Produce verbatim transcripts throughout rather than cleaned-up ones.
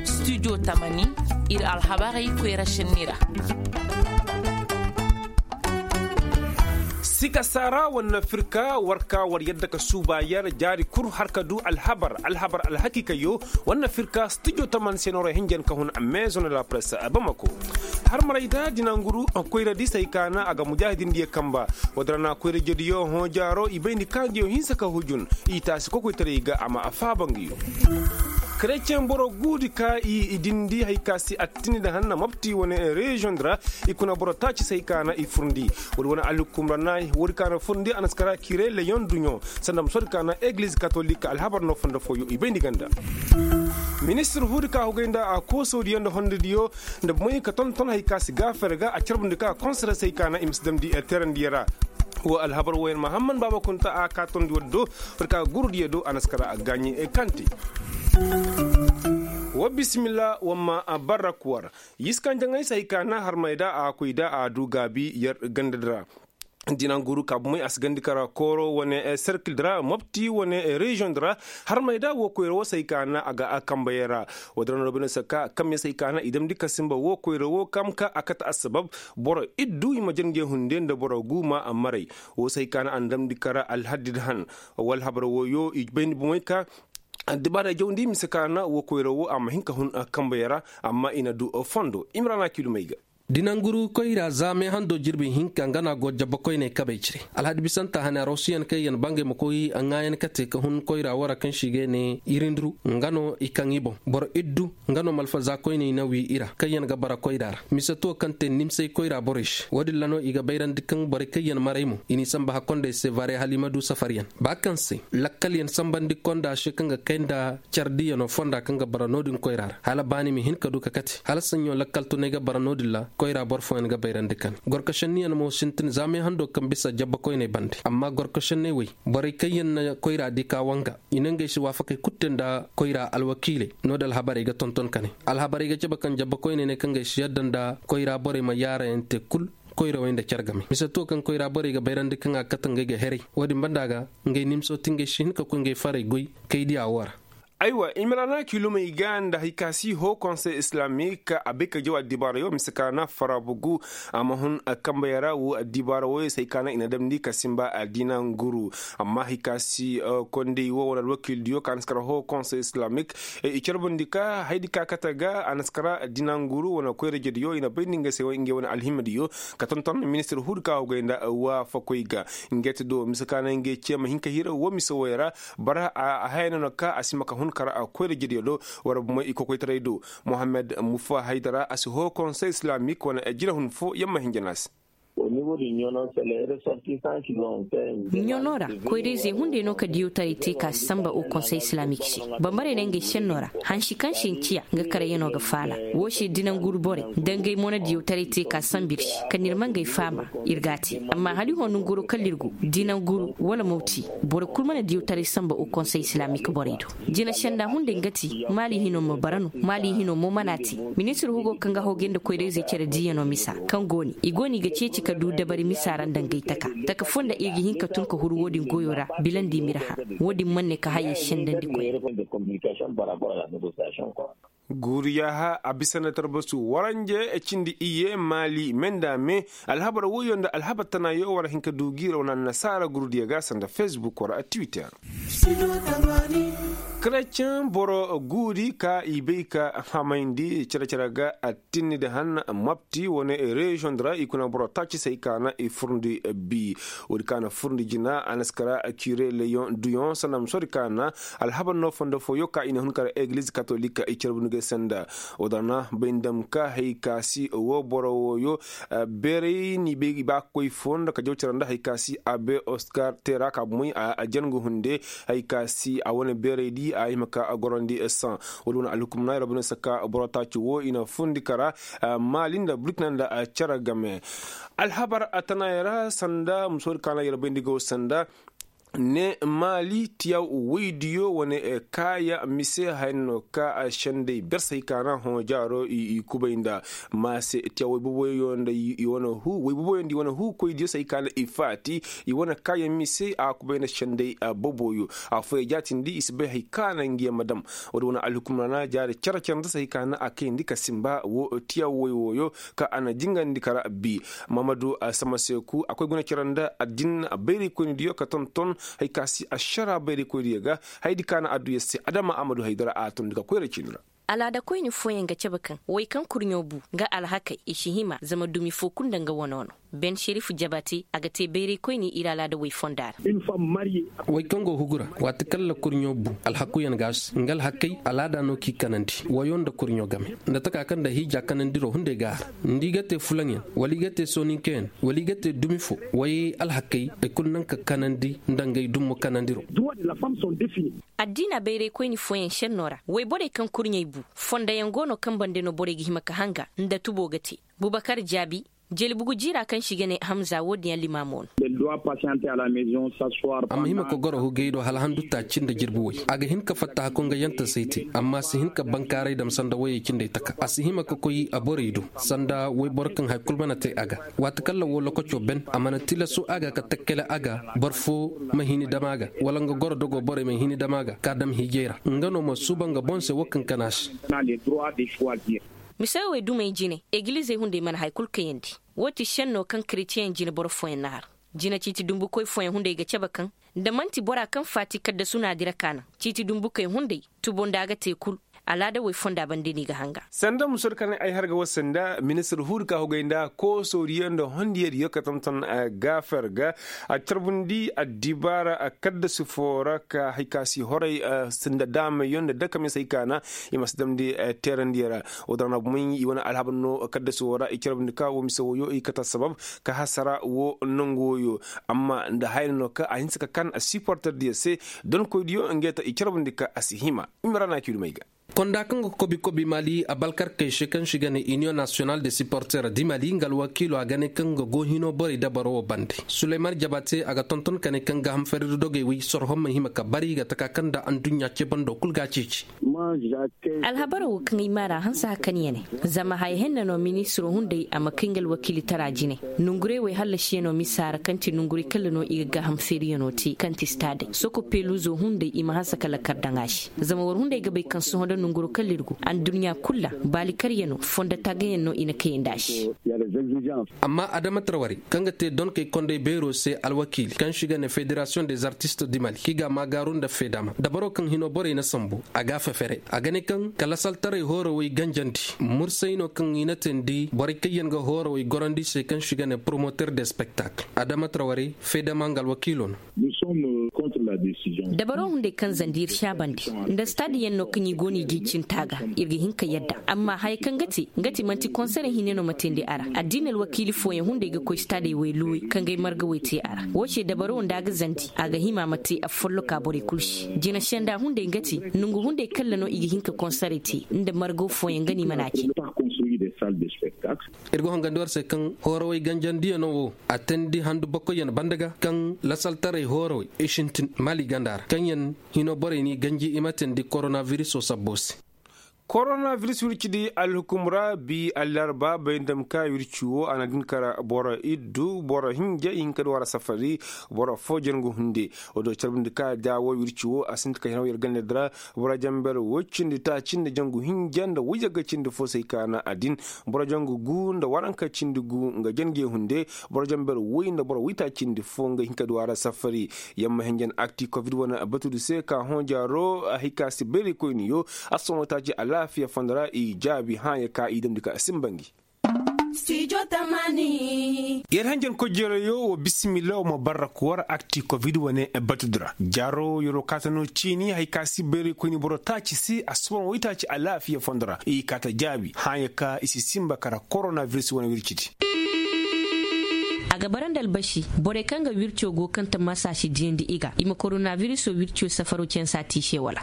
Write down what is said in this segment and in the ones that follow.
Studio tamani, ir alhabarey koyra šenni ra. Sika saara war na firka war ka war yadda ka suuba yer jaari kul har ka du alhabar alhabar alhakiikayo. War na firka studio tamani se noorey hinjan ka hun a maison de la presse a bamako. Harmaray da dinanguru koyra di se hay ka na a ga mujaahidindiyo kamba. Woo din ra na koyra jediyo hõ jaaro i bayndi ka nguyo hinsa ka hujun i taasi kokoytaray ga a ma a faaba nguyo. Kereceŋ boro guudi ka i dindi hay ka se attini nda hanna mopti wane reziyoŋ di ra. I kuna boro taaci se hay ka na i furndi. Woodi wane alhukum ra na woodi ka na furndi a na si kara kire leyoŋ duɲo sanda ma soodi ka na egiliz katolik alhabar no fondo fooyo i bayndi ganda. Ministir huudi ka hugay nda a koosodiyo nda hondodiyo nda bumey ka tonton hay ka si gaafere ga a carbundi ka konsere se hay ka na i ma si damndi teerandiyo ra. Woo alhabar wooyaŋ mahamman baaba kunta a kaatondi woodi do. War ka gurudiyo do a na si kara a gaaɲi kante. Wa bisimilla wa ma barrak war. Yiskanjaŋey se hay ka na harmay da a koy da a du gaabi yer ganda di ra. Dinanguru ka bumey a si gandi kara kooro wane serkil di ra mopti wane reziyoŋ di ra. Harmay da woo koyra woo se hay ka na a ga a kambayey ra. Woo din ra no bine saka kamya se hay ka na i damndi ka sinba woo koyra woo kam ka a kate assabab. Boro iddu i ma jangey hunde nda boro guuma a maray. Woo se hay ka na a na damndi kara alhaddi di han. Woo alhabar wooyo i bayndi bumey ka addibaarey jawndi mise ka na woo koyra woo a ma hin ka hun kambayey ra. Amma i na du fondo imrana kilumey ga. Dinanguru koyra za meehando jirbi hinka nga no a go jabba koyney kabey cire. Alhadi bisanta hane a roosuyaŋ kaŋ yaŋ bangey ma koy a ŋaayan kate ka hun koyra woo ra kaŋ se i ga ne irindiru nga no i kaŋ i boŋ boro iddu. Nga no malfa za koyney na wii i ra kaŋ yaŋ ga bara koyra ra mise to kaŋ te nimsey koyra borey se woo din ra no i ga bayrandi kaŋ borey kaŋ yaŋ maray mo i n'i samba hakkondey se vare hala i ma du safaryaŋ ba kaŋ se lakkalyaŋ sambandi konda se kaŋ ga kay nda care diyanoo fonda kaŋ ga bara no-din koyra ra hala baani ma hin ka du ka kate hala saɲɲo lakkal tunay ga bara no-din ra. Koyra boro fooyaŋ ga bayrandi kane gorko šenniyaŋ mo sintin za meehando kaŋ bisa jabba koyney bande amma gorko šenney wey borey kaŋ yaŋ na koyra di ka wanga i na ngey se waafakey kulu te nda koyra alwakiiley. No-din alhabarey ga tonton kane alhabarey ga cabe kaŋ jabba koyney ne kaŋ ngey si yadda nda koyra borey ma yaarayaŋ te kul. Koyra wey nda care game mise to kaŋ koyra borey ga bayrandi kaŋ a ga kate ngey ga heray woo din banda ga ngey nimso ti ngey si hin ka koy ngey farey goy kay diya woo ra. Aywa imrana kilumey ga nda hay ka si hoo konsey islamik a bay ka jaw addibaarayo mise ka na farabugu a ma hun kambayey ra woo addibaara wooyo se hay ka na i na damndi ka sinba addina nguru. Amma hay ka si kondey woo wala alwakiildiyo ka na si kar hoo konsey islamik i carbundi ka haydi ka kate ga a na si kar addina nguru wane koyra jediyo i na bayndi nga se ngey wane alhimadiyo ka tonton ministir huudi ka hogay nda waafakoy ga. Ngey te do mise ka na ngey ce ma hin ka hira woo mise wooyo ra. Bara a haya no na ka a si ma ka hun kar koyra jediyo do wara bumey i kokoytaray do. Mohammed mufa haydara a si hoo konsey islamik wane jinahun fo yer ma hin jana se. Ɲono ra koyra-izey hunday no ka diyawtaray te ka si samba o konsey islamik se. Bambarey ne ngey senno ra hansi kaŋ se ni ciya nga karayyano ga faala. Woo se dinanguru borey nda ngey mo na diyawtaray te ka sambu ir se ka na ir ma ngey faama. Ir g'a te amma hala i hoo nanguro kala ir go dinanguru wala mawti. Boro kul mana diyawtaray samba o konsey islamik borey do. Jina senda hunday nga ti maali hino ma bara no maali hino mo mana te. Ministir hugo kaŋ ga hogay nda koyra-izey care diiyano misa kaŋ go ne i go no i ga ceeci ka du dabari misa ra nda ngey taka taka foo nda ir ga hin ka tun ka huru woo din goyo ra. Bilandi ma ir hã woo din man ne ka hayey sendandi koy. Guuru yaaha a bisa nda tarbasu waranje cindi iyye maali me nda me. Alhabar woyo nda alhabar tanaayo war hin ka du giiraw na annasaara gurudiyo ga sanda fesbuk war a twitter. Kereceŋ boro guudi ka i bay ka hamayndi cere-cere ga attinni da han mopti wane reziyoŋ di ra i kuna boro taaci se ay ka na i furndi bi. Woodi ka na furndi jina a na si kara kire leyoŋ duyoŋ sanda ma soodi ka na alhabar no fondo fooyo ka i na hun kara egiliz katolik i carbu ni ga ay sanda. Woodi ra na bay nda ma ka hay ka si wo boro wooyo beeray ni bay i ba ka koy foo nda ka jaw cere nda hay ka si abe oskar tera ka bumey a jangu hunde. Hay ka si a wane beeray di a hima ka gorandi san. Wala wane alhukum na yarabuna saka boro taaci wo i na fundi kara maali nda burkina nda cere game. Alhabar a tana yara sanda musoodi ka na yarabay nda go sanda. ne maali tiyaw woydiyo wane kaaya mise haya no ka sendey ber se hay ka na hõ jaaro i kubay nda maase tiyaw woyboboyo nda i wane huu woyboboyo nda i wane huu koydiyo se hay ka na i faati i wane kaaya mise a kubay nda sendey boboyo. Afooyaŋ jaatindi i si bay hay ka na nga yaŋ ma dam. Wo- din wane alhukum ra na jaari cere cere nda se hay ka na a kayandi ka simba wo tiyaw woy wooyo ka a na jingandi kara bi. Mahamadu samaseeku a koy guna cere nda addin bayraykoynidiyo ka tonton hay ka si ašara bayraykoydiyo ga. Hayadi ka na adduya se adama a ma du haydara a tun di ka koyra ciini ra. Alaadakoyni fooyaŋ ga cabe kaŋ way kaŋ kurɲo bu nga alhakey i si hima zama dumi fo kulu nda nga wano no. Ben serif jabate a ga te bayraykoyni ir alaada way fonda ra. Way kaŋ go hugu ra waati kaŋ la kurɲo bu alhakuyaŋ ga a se nga alhakey alaada no k'i kanandi wayo nda kurɲo game nda taka kaŋ nda hiija kanandiro hunday ga a ra. Nda i ga te fulaŋyaŋ wala i ga te sooninkayaŋ wala i ga te dumi fo way alhakey i kulu naŋ ka kanandi nda ngey dummo kanandiro. Addiina bayraykoyni fooyaŋ šennoo ra woyborey kaŋ kurɲey bu fondayaŋ go no kaŋ bande no borey ga hima ka hanga nda tubo ga te. Bubakar jaabi jelbugu jiira kaŋ se i ga ne hamza wo-din yaŋ limaamo no. A ma hima ka goro hugey do hala handu taaci nda jirbi way a ga hin ka fatta hakongayantasey te amma a si hin ka bankaaray dam sanda wayey cindey taka a si hima ka koy a borey do sanda wayboro kaŋ hari kulu mana te a ga. Waati kaŋ ra woo lokaco ben a mana tilasu a ga ka takkale a ga boro fo ma hini dam a ga wala nga goro dogo borey ma hini dam a ga ka dam hiijay ra nga no ma suuba nga boŋ se woo kaŋ kana se. Mise wey dumey jine egilizey hunday mana hari kulu kayandi. Woo ti šenno kaŋ kretiyeŋ jine boro fooyaŋ na har jine ciiti dumbukoy fooyaŋ hunday ga cabe kaŋ nda man'ti bora kaŋ faati kaddasu na a dira ka naŋ ciiti dumbukey hunday tubo nda a ga te kul. Alaada woy fonda bande no i ga hanga. Sanda musoodi ka ne ay har ga wasa nda ministir huudi ka hugay nda koosoodiyo nda hondiyadiyo ka tonton gaafer ga a carbundi addibaara kaddasu foo ra ka hari ka si horay nda daamayo nda dakamiyaŋ se hari ka na i ma si damndi teerandiyo ra. Woo din ra na bumey i wane alhabar no kaddasu woo ra i carbundi ka woo mise wooyo i kate assabab ka hasara woo nangu wooyo. Amma nda haya no ka a hinse ka kan siporterdiyo se donkoydiyo ngey ta i carbundi ka a si hima. I ma ra na a ci dumey ga. Konda kaŋ ga kobi kobi mali abalkarkey se kaŋ se i ga ne iniyoŋ nasiyonal de siporter di mali nga alwakiilo a ga ne kaŋ ga go hino borey dabaro wo bande. Suleyman jabate a ga tonton ka ne kaŋ ga hamfariri dogey wey sorhom ma hima ka bari ga taka kaŋ nda adduɲɲa cebando kul ga a ceeci. Alhabaro wo kaŋ ay maara hanse hakan ya ne zama haya henna no ministiro hunday a ma kay nga alwakiilitara jine. Nonguray wey hallasiyaŋo misa ra kaŋ ti nonguray kalla no i ga gaaham feeriyano te kaŋ ti staadey soko peluzo hunday i ma hanse ka lakkar daŋ a se. Zama war hunday ga bay kaŋ sohõ nda nonguro kalla ir go adduɲɲa kul ra baali karyano fondo taagayaŋ no i na kayandi a se. Amma adama tarwarey kaŋ ga te donkey kondey beero se alwakiili kaŋ se i ga ne federasiyoŋ des artistes du mali kaŋ i ga a maagaaru nda feedama dabaro kaŋ hino borey na sambu a ga a fefere a ga ne kaŋ kala saltaray hoorawey ganjandi mursay no kaŋ i na teendi borey kaŋ yaŋ ga hoorawey gorandi se kaŋ se i ga ne promoter de spektakl adama tarwarey feedama nga alwakiilo no. Dabaro hunday kaŋ zandi ir saabandi nda stade yaŋ no kaŋ i go no i ga i cinta ga ir ga hin ka yadda amma haya kaŋ ga te nga ti manti konserey hinne no ma teendi a ra addiini alwakiili fooyaŋ hunday ga koy stadey wey luwey kaŋ ga ay margawey te a ra woo se dabaro nda a ga zandi a ga hima ma te a folloka borey kul se jina senda hunday nga ti nongu hunday kalla no i ga hin ka konserey te nda margaw fooyaŋ ga no i mana a cay. Ir ga hongandi war se kaŋ hoorawey ganjandiyano wo a teendi handu bokoyyan banda ga kaŋ lasaltaray hoorawey i sintin mali ganda ra kaŋ yaŋ hino borey n'i ganji i ma teendi koronabiriso sabbo se. Koronabiriso wirci di alhukum ra bi allarba bay ndam ka wirci wo a na din kara boro iddu boro hinja i hin ka du a ra safari boro fo jangu hunde. Wo do carbundi ka da wo wirci wo a sinti ka hinaw yer ganda dira boro jamber woy cindi taaci nda jangu hinja nda woy yagga cindi fo se ay ka na a din boro jangu gu nda waranka cindi gu nga jange hunde boro jamber woy nda boro woy taaci cindi fo nga hin ka du a ra safari. Yamma hinjan akti covid wane batudu se ka hõ jaaro hay ka si bayraykoyniyo a si sohõ taaci alaafiya fondo ra i jaabi hãya ka i damndi ka a simba ngi. Yer hanjan kojerayo wo bisimilla wo ma barra ka war akti covid wane batudura jaaro yero kaata no ciini hay ka si bayray koyni boro taaci se a si wane woy taaci alaafiya fondo ra i kaata jaabi hãya ka i si simba kara koronaviris wane wircidi. A ga bara nda albasi borey kaŋ ga wirco go kaŋ tammaasa si diyandi i ga i ma koronabiriso wirco safaro cansa te i se wala?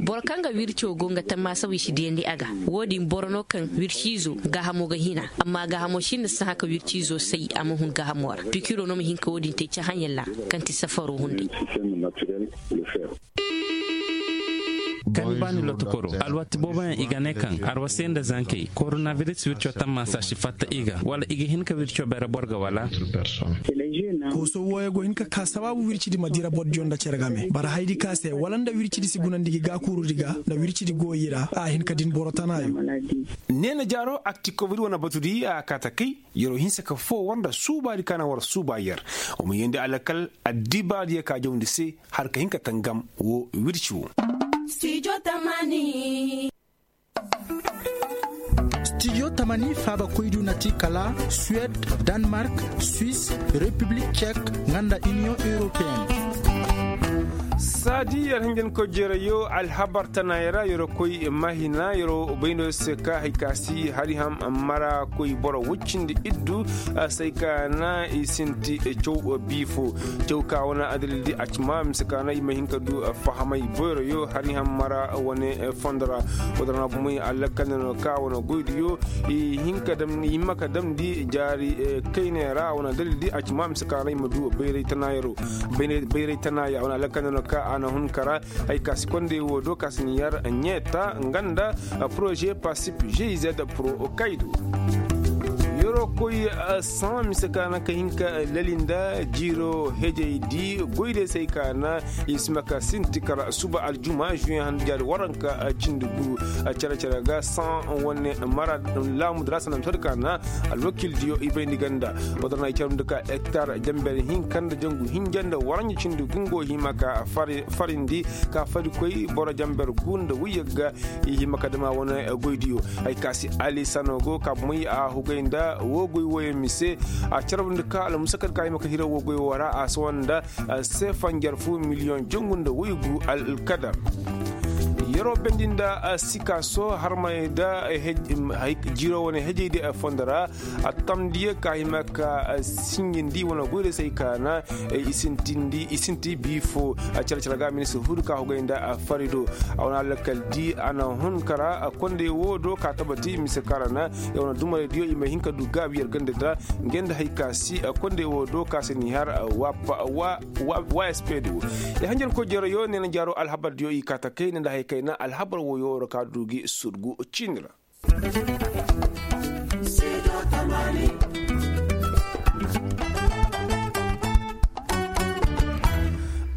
Boro kaŋ ga wirco go nga tammaasa wi si diyandi a ga. Wo-din boro no kaŋ wirciizo gaahamo ga hina, amma gaahamo sinda sahã ka wirciizo say a ma hun gaahamo ra. Pikiro no ma hin ka wo-din te cahãyaŋ ra kaŋ ti safaro hunday. Kaŋ baani lotokoro alwatti booboyaŋ i ga ne kaŋ arwasey nda zankey koronabiris wirco tammaasa si fatta i ga wala i ga hin ka wirco beere boro ga wala? Kooso wooyo go hin ka ka sabaabu wircidi ma dira bordiyo nda cere game bara hayadi ka se wala nda wircidi si gunandi gi gaakuurudi ga nda wircidi go i ra a hin ka din boro tanaayo. Neena jaaro aktikobri wane batudi a kaata kay. Yer'o hinsa ka foo war nda suubaadi ka na war suuba yer. Wa ma yeendi alakal addibaadiyo ka jawndi se har ka hin ka tangam woo wirci woo. Stijo tamani faaba koydu na ti kala suwed, danmark, suis, repiblik cek, nga nda iniyoŋ europeen. Saadi yer hinjankoy jeerayo alhabar tanaayey ra yer'o koy mahina yer'o bayno se ka hay ka si hari ham mara koy boro woy cindi iddu. Say ka na i sinti caw biifo caw ka wane adalildi a ci ma mise ka na i ma hin ka du fahamay boyroyo hari ham mara wane fondo ra. Wadara na gumay alakal na no ka wane goydiyo i hin ka damni i hima ka damndi jaari kayney ra wane adalildi a ci ma mise ka na i ma du bayray tanaayaro. Bayray tanaaya wane alakal na no ka a na hun kara. Hay ka si kondey woo do ka si ni yar ɲeeta nga nda poroze pasip gz pro kaydo. Yer'o koy saŋa mise ka na ka hin ka lali nda jiiro hejey di goydey se hay ka na i si ma ka sinti kala suba aljuma juyen handa jaari waranka cindi gu. Cere-cere ga saŋa wane mara laamudu ra sanda mise ka na alwakildiyo i bayndi ganda. Wadara na i carandi ka hektar jamber hinka nda jangu hinja nda waranji cindi gu ngo hima ka farindi ka farikoy boro jamber gu nda woy yagga. I hima ka dama wane goydiyo hay ka si alisano go ka moy a hugay nda woo goy wooyo mise. A carandi ka almusakar ka hima ka hira woo goy woo ra a sawa nda seefanjar fu miliyoŋ jangu nda woy gu alkadar. Yer'o bendi nda sikaso harmay nda jiiro wane hejey di fondo ra. A tamdiyo ka hima ka sinjindi wane goyra se ay ka na i sinti biifo. Care care ga ministir hudu ka hogay nda fari do. A wane alakal di a na hun kara kondey wo do ka tabati mise ka ra na ya wane dumarey diyo i ma hin ka du gaabi yer ganda da. Ngey nda hay ka si kondey wo do ka se ni har wa wa wa spd wo. Ya hanjar ko jereyo ne na jaaro alhabar diyo i ka ta kay ne nda hay kay na alhabar wo yo ra ka du gi surgu ciini ra.